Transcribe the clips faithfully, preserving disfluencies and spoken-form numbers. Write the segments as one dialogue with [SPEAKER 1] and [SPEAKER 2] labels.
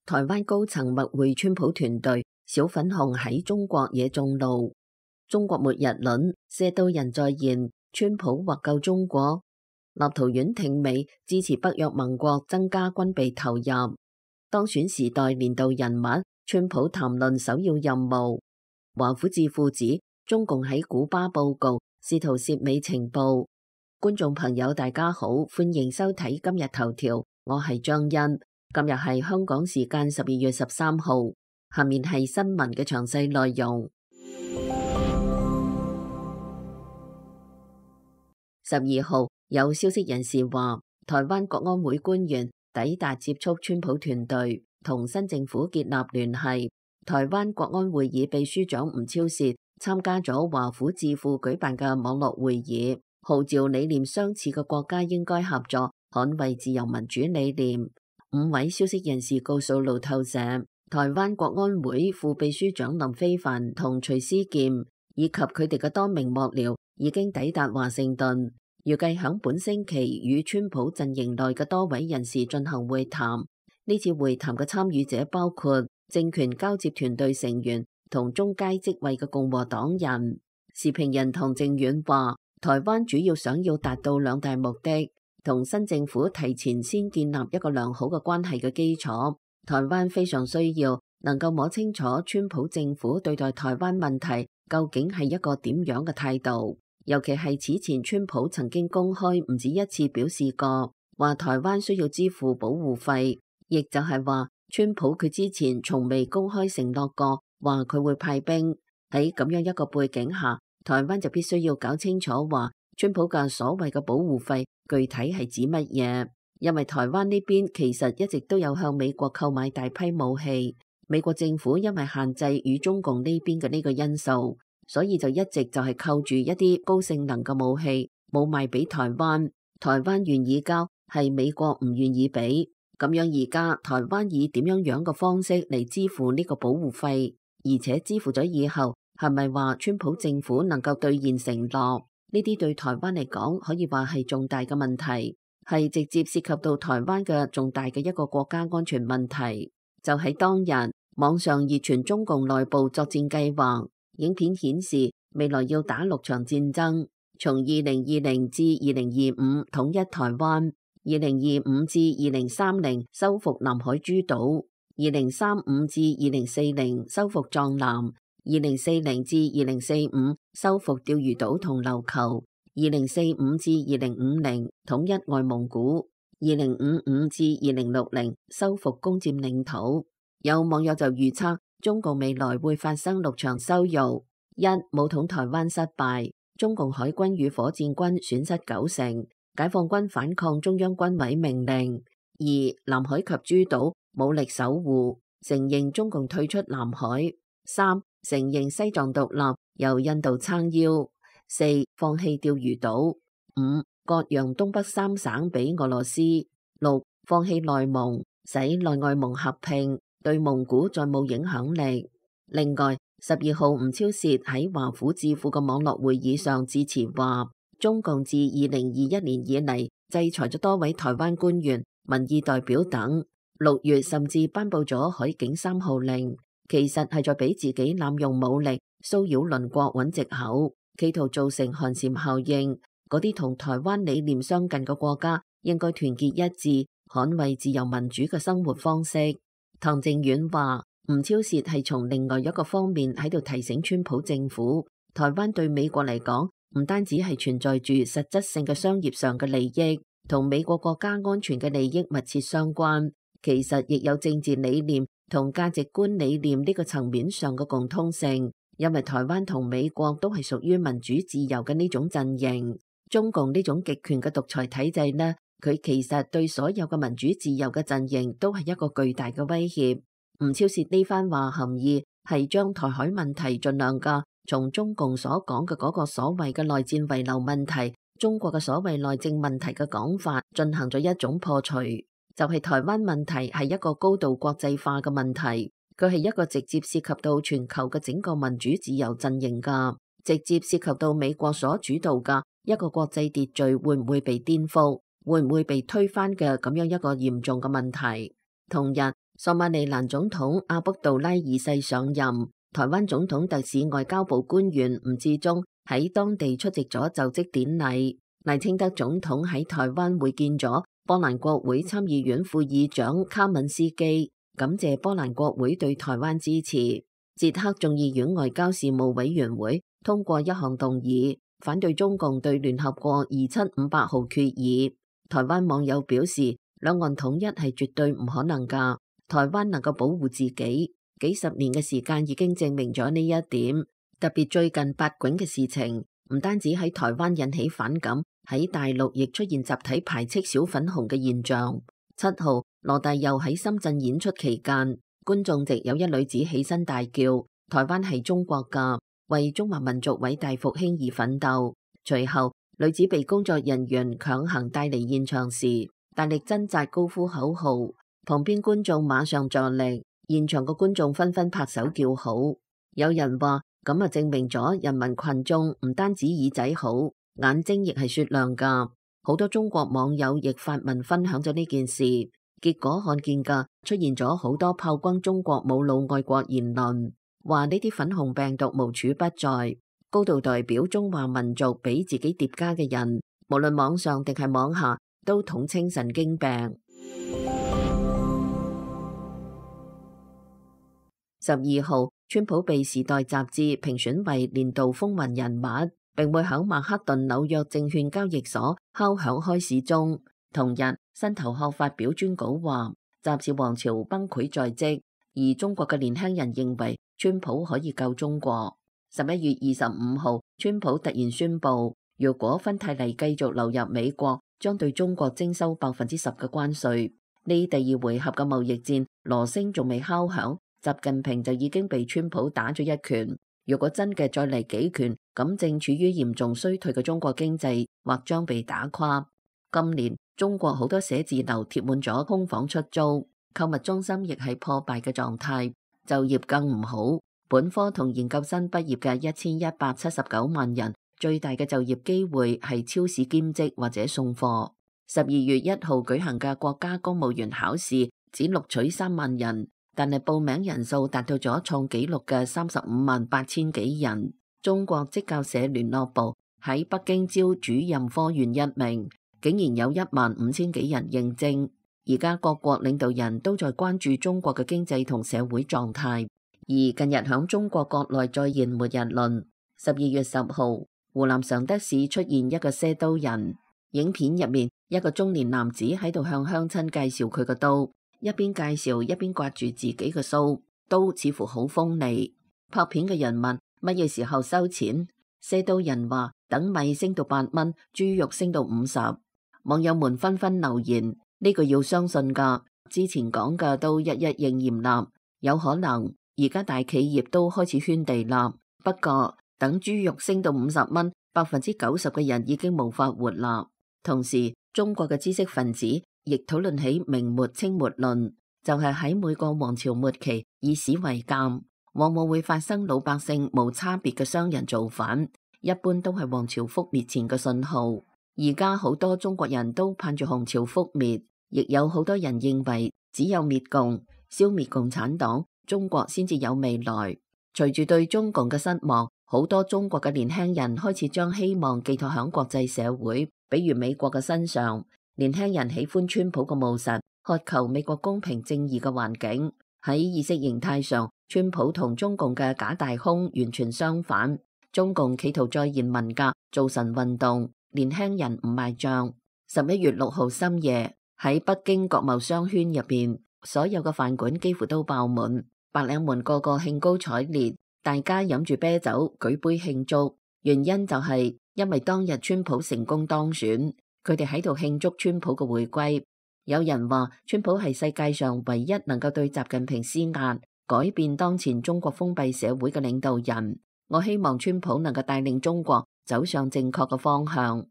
[SPEAKER 1] 台灣高層密會川普團隊，小粉紅喺中國惹眾怒。中國末日論，射到人在言，川普或救中國。立陶宛挺美，支持北約盟國增加軍備投入。當選時代年度人物，川普談論首要任務。華府智庫指中共喺古巴報告，試圖竊美情報。觀眾朋友大家好，歡迎收睇今日頭條，我係張欣。今日係香港時間十二月十三號，下面係新聞嘅詳細內容。十二號有消息人士話，台灣國安會官員抵達接觸川普團隊，同新政府建立聯繫。台灣國安會議秘書長吳釗燮參加咗華府智庫舉辦嘅網絡會議，號召理念相似嘅國家應該合作，捍衛自由民主理念。五位消息人士告訴路透社，台灣國安會副秘書長林飛帆同徐思劍以及佢哋嘅多名幕僚已經抵達華盛頓，預計響本星期與川普陣營內嘅多位人士進行會談。呢次會談嘅參與者包括政權交接團隊成員同中階職位嘅共和黨人。時評人唐正遠話，台灣主要想要達到兩大目的。同新政府提前先建立一個良好嘅關係嘅基礎，台灣非常需要能夠摸清楚川普政府對待台灣問題究竟係一個點樣嘅態度，尤其係此前川普曾經公開唔止一次表示過，話台灣需要支付保護費，亦就係話川普佢之前從未公開承諾過話佢會派兵。喺咁樣一個背景下，台灣就必須要搞清楚話川普嘅所謂嘅保護費具體係指乜嘢？因為台灣呢邊其實一直都有向美國購買大批武器，美國政府因為限制與中共呢邊嘅呢個因素，所以就一直就係扣住一啲高性能嘅武器冇賣俾台灣。台灣願意交，係美國唔願意俾。咁樣而家台灣以點樣樣嘅方式嚟支付呢個保護費，而且支付咗以後係咪話川普政府能夠兌現承諾？呢啲對台灣嚟講可以話係重大嘅問題，係直接涉及到台灣嘅重大嘅一個國家安全問題。就喺當日，網上熱傳中共內部作戰計劃，影片顯示未來要打六場戰爭，從二零二零至二零二五統一台灣，二零二五至二零三零收復南海諸島，二零三五至二零四零收復藏南，二零四零至二零四五收復釣魚島同琉球，二零四五至二零五零統一外蒙古，二零五五至二零六零收復攻佔領土。有網友就預測中共未來會發生六場羞辱：一、武統台灣失敗，中共海軍與火箭軍損失九成，解放軍反抗中央軍委命令；二、南海及諸島武力守護，承認中共退出南海；三、承認西藏獨立，由印度撐腰；四、放棄釣魚島；五、割讓東北三省俾俄羅斯；六、放棄內蒙，使內外蒙合併，對蒙古再冇影響力。另外，十二號吳釗燮喺華府智庫嘅網絡會議上致辭話，中共自二零二一年以嚟制裁咗多位台灣官員、民意代表等，六月甚至頒布咗海警三號令。其實係在俾自己濫用武力騷擾鄰國揾藉口，企圖造成寒蟬效應。嗰啲同台灣理念相近嘅國家應該團結一致，捍衛自由民主嘅生活方式。唐正遠話，吳釗燮係從另外一個方面喺度提醒川普政府，台灣對美國嚟講唔單止係存在住實質性嘅商業上嘅利益，同美國國家安全嘅利益密切相關，其實亦有政治理念同價值觀理念呢個層面上嘅共通性，因為台灣同美國都係屬於民主自由嘅呢種陣營。中共呢種極權嘅獨裁體制呢，佢其實對所有嘅民主自由嘅陣營都係一個巨大嘅威脅。吳釗燮呢番話含義係將台海問題盡量嘅從中共所講嘅嗰個所謂嘅內戰遺留問題、中國嘅所謂內政問題嘅講法進行咗一種破除。就係台灣問題係一個高度國際化嘅問題，佢係一個直接涉及到全球嘅整個民主自由陣營噶，直接涉及到美國所主導嘅一個國際秩序會唔會被顛覆，會唔會被推翻嘅咁樣一個嚴重嘅問題。同日，索馬利蘭總統阿卜杜拉二世上任，台灣總統特使外交部官員吳志忠喺當地出席咗就職典禮。賴清德總統喺台灣會見咗波蘭國會參議院副議長卡敏斯基，感謝波蘭國會對台灣支持。捷克眾議院外交事務委員會通過一項動議，反對中共對聯合國二七五八號決議。台灣網友表示，兩岸統一係絕對唔可能㗎。台灣能夠保護自己，幾十年嘅時間已經證明咗呢一點。特別最近八囧嘅事情，唔單止喺台灣引起反感，喺大陸亦出現集體排斥小粉紅嘅現象。七號，羅大佑喺深圳演出期間，觀眾席有一女子起身大叫：台灣係中國㗎，為中華民族偉大復興而奮鬥。隨後，女子被工作人員強行帶離現場時，大力掙扎，高呼口號。旁邊觀眾馬上助力，現場嘅觀眾紛紛拍手叫好。有人話咁啊，證明咗人民群眾唔單止耳仔好，眼睛亦係雪亮㗎。好多中國網友亦發文分享咗呢件事，結果看見㗎出現咗好多炮轟中國冇腦愛國言論，話呢啲粉紅病毒無處不在，高度代表中華民族俾自己疊加嘅人，無論網上定係網下，都統稱神經病。十二號，川普被《時代》雜誌評選為年度風雲人物，並會喺曼克頓紐約證券交易所敲響開市鐘。同日，新頭殼發表專稿話，雜誌王朝崩潰在即，而中國嘅年輕人認為川普可以救中國。十一月二十五號，川普突然宣布，如果芬太尼繼續流入美國，將對中國徵收百分之十嘅關稅。呢第二回合嘅貿易戰，鑼聲仲未敲響，習近平就已經被川普打咗一拳。如果真嘅再嚟幾拳，咁正處於嚴重衰退嘅中國經濟或將被打垮。今年中國好多寫字樓貼滿咗空房出租，購物中心亦係破敗嘅狀態，就業更唔好。本科同研究生畢業嘅一千一百七十九萬人，最大嘅就業機會係超市兼職或者送貨。十二月一號舉行嘅國家公務員考試只錄取三萬人，但係報名人數達到咗創紀錄嘅三十五萬八千幾人。中國職教社聯絡部喺北京招主任科員一名，竟然有一萬五千幾人應徵。而家各國領導人都在關注中國嘅經濟同社會狀態，而近日響中國國內再現末日論。十二月十號，湖南常德市出現一個賒刀人，影片入面一個中年男子喺度向鄉親介紹佢個刀，一邊介紹一邊刮住自己嘅鬚，刀似乎好鋒利。拍片嘅人問乜嘢時候收錢，賒刀人話等米升到八蚊，豬肉升到五十。網友們紛紛留言，呢個要相信噶，之前講嘅都一一應驗啦，有可能而家大企業都開始圈地啦。不過等豬肉升到五十蚊，百分之九十嘅人已經無法活啦。同時，中國嘅知識分子亦討論起明末清末論，就係喺每個王朝末期以史為鑑，往往會發生老百姓無差別嘅商人造反，一般都係王朝覆滅前嘅信號。而家好多中國人都盼住洪朝覆滅，亦有好多人認為只有滅共、消滅共產黨，中國先至有未來。隨住對中共嘅失望，好多中國嘅年輕人開始將希望寄託響國際社會，比如美國嘅身上。年輕人喜歡川普嘅務實，渴求美國公平正義嘅環境。喺意識形態上，川普同中共嘅假大空完全相反。中共企圖再現文革、造神運動，年輕人唔賣賬。十一月六號深夜，喺北京國貿商圈入邊，所有嘅飯館幾乎都爆滿，白領們個個興高采烈，大家飲住啤酒，舉杯慶祝。原因就係因為當日川普成功當選，佢哋喺度慶祝川普嘅回歸。有人話川普係世界上唯一能夠對習近平施壓、改變當前中國封閉社會嘅領導人。我希望川普能夠帶領中國走上正確嘅方向。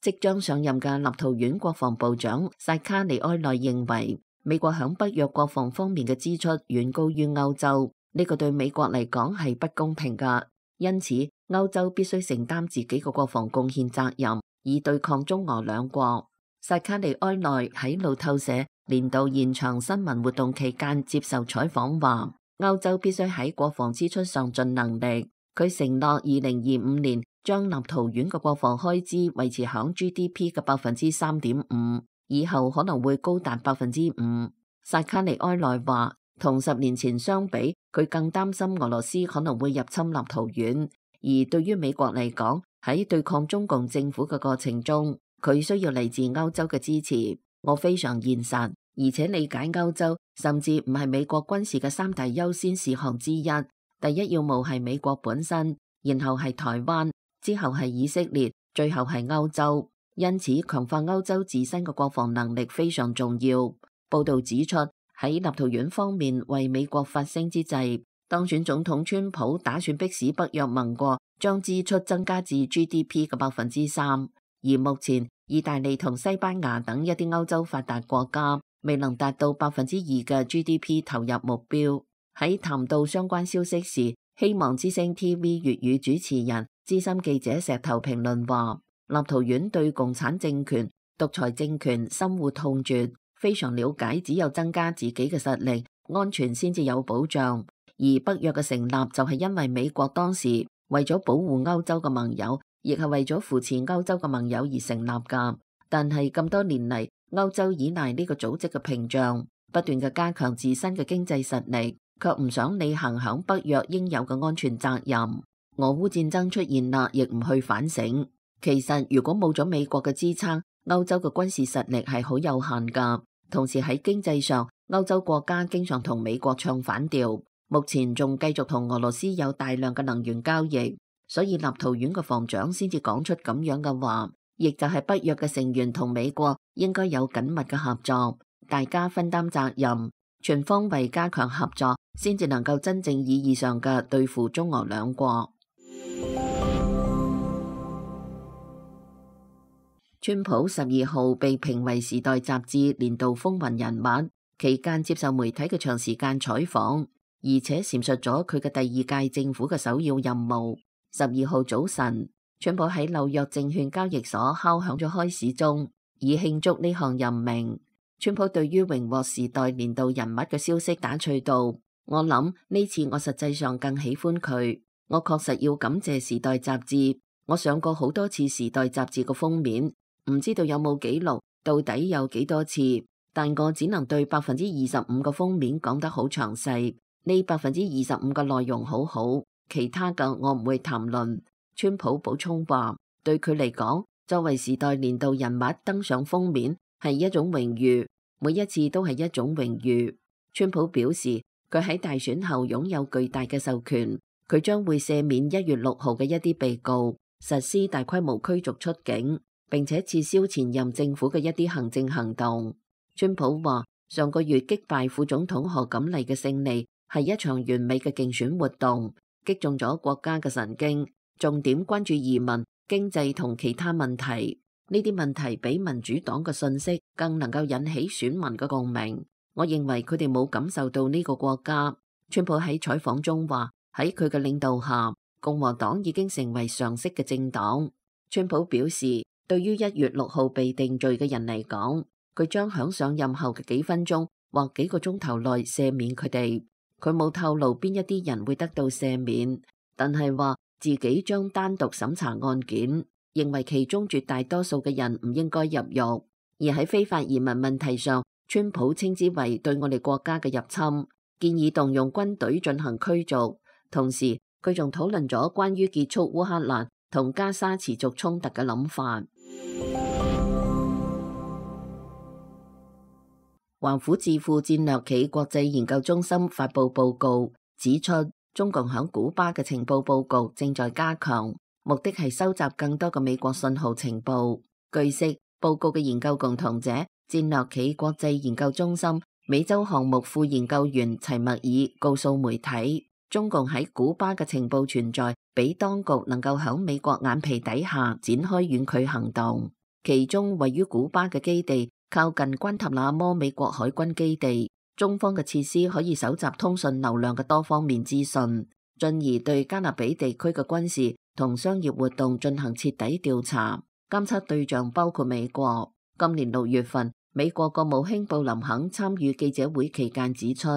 [SPEAKER 1] 即將上任嘅立陶宛國防部長薩卡尼埃內認為，美國響北約國防方面嘅支出遠高於歐洲，呢個對美國嚟講係不公平㗎。因此，歐洲必須承擔自己嘅國防貢獻責任，以對抗中俄兩國。薩卡利埃內喺路透社年度現場新聞活動期間接受採訪話，歐洲必須喺國防支出上盡能力。佢承諾二零二五年將立陶宛嘅國防開支維持響 G D P 嘅百分之三點五，以後可能會高達百分之五。薩卡利埃內話，同十年前相比，佢更擔心俄羅斯可能會入侵立陶宛。而對於美國嚟講，喺對抗中共政府嘅過程中，佢需要嚟自歐洲嘅支持。我非常現實，而且理解歐洲，甚至唔係美國軍事嘅三大優先事項之一。第一要務係美國本身，然後係台灣，之後係以色列，最後係歐洲。因此，強化歐洲自身嘅國防能力非常重要。報道指出，喺立陶宛方面為美國發聲之際，當選總統川普打算迫使北約盟國將支出增加至 G D P 嘅百分之三。而目前，意大利同西班牙等一啲歐洲發達國家未能達到百分之二嘅 G D P 投入目標。喺談到相關消息時，希望之聲 T V 粵語主持人資深記者石頭評論話，立陶宛對共產政權、獨裁政權深惡痛絕，非常了解只有增加自己嘅實力，安全先至有保障。而北約嘅成立就係因為美國當時為咗保護歐洲嘅盟友，亦係為咗扶持歐洲嘅盟友而成立㗎。但係咁多年嚟，歐洲依賴呢個組織嘅屏障，不斷嘅加強自身嘅經濟實力，卻唔想履行響北約應有嘅安全責任。俄烏戰爭出現啦，亦唔去反省。其實如果冇咗美國嘅支撐，歐洲嘅軍事實力係好有限噶。同時喺經濟上，歐洲國家經常同美國唱反調，目前仲繼續同俄羅斯有大量嘅能源交易，所以立陶宛嘅防長先至講出咁樣嘅話，亦就係北約嘅成員同美國應該有緊密嘅合作，大家分擔責任，全方位加強合作，先至能夠真正意義上嘅對付中俄兩國。川普十二號被評為《時代》雜誌年度風雲人物，期間接受媒體嘅長時間採訪，而且闡述咗佢嘅第二屆政府嘅首要任務。十二號早晨，川普喺紐約證券交易所敲響咗開市鐘，以慶祝呢項任命。川普對於榮獲《時代》年度人物嘅消息打趣道：我諗呢次我實際上更喜歡佢，我確實要感謝《時代》雜誌。我上過好多次《時代》雜誌嘅封面。唔知道有冇記錄，到底有幾多次？但我只能對百分之二十五個封面講得好詳細。呢百分之二十五個內容好好，其他嘅我唔會談論。川普補充話，對佢嚟講，作為時代年度人物登上封面係一種榮譽，每一次都係一種榮譽。川普表示，佢喺大選後擁有巨大嘅授權，佢將會赦免一月六號嘅一啲被告，實施大規模驅逐出境，並且撤銷前任政府嘅一啲行政行動。川普話，上個月擊敗副總統賀錦麗嘅勝利係一場完美嘅競選活動，擊中咗國家嘅神經，重點關注移民、經濟同其他問題。呢啲問題比民主黨嘅信息更能夠引起選民嘅共鳴。我認為佢哋冇感受到呢個國家。川普喺採訪中話，喺佢嘅領導下，共和黨已經成為常識嘅政黨。川普表示，對於一月六號被定罪嘅人嚟講，佢將響上任後嘅幾分鐘或幾個鐘頭內赦免佢哋。佢冇透露邊一啲人會得到赦免，但係話自己將單獨審查案件，認為其中絕大多數嘅人唔應該入獄。而喺非法移民問題上，川普稱之為對我哋國家嘅入侵，建議動用軍隊進行驅逐。同時，佢仲討論咗關於結束烏克蘭同加沙持續衝突嘅諗法。華府智庫戰略企國際研究中心發佈報告，指出中共響古巴嘅情報佈局正在加強，目的係收集更多嘅美國信號情報。據悉，報告嘅研究共同者戰略企國際研究中心美洲項目副研究員齊默爾告訴媒體，中共喺古巴嘅情報存在，俾當局能夠響美國眼皮底下展開遠距行動。其中位於古巴嘅基地靠近關塔那摩美國海軍基地，中方嘅設施可以搜集通訊流量嘅多方面資訊，進而對加勒比地區嘅軍事同商業活動進行徹底調查。監測對象包括美國。今年六月份，美國國務卿布林肯參與記者會期間指出，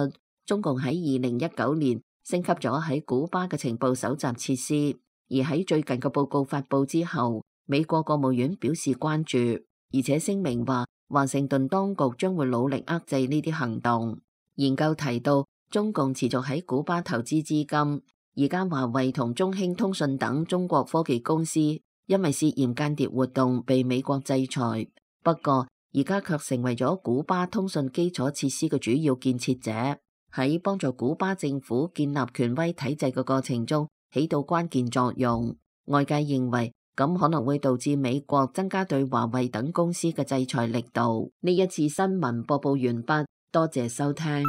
[SPEAKER 1] 中共喺二零一九年升級咗喺古巴嘅情報搜集設施，而喺最近嘅報告發佈之後，美國國務院表示關注，而且聲明話華盛頓當局將會努力遏制呢啲行動。研究提到，中共持續喺古巴投資資金，而家華為同中興通訊等中國科技公司因為涉嫌間諜活動被美國制裁，不過而家卻成為咗古巴通訊基礎設施嘅主要建設者，喺幫助古巴政府建立權威體制嘅過程中起到關鍵作用。外界認為咁可能會導致美國增加對華為等公司嘅制裁力度。呢一次新聞播報完畢，多謝收聽。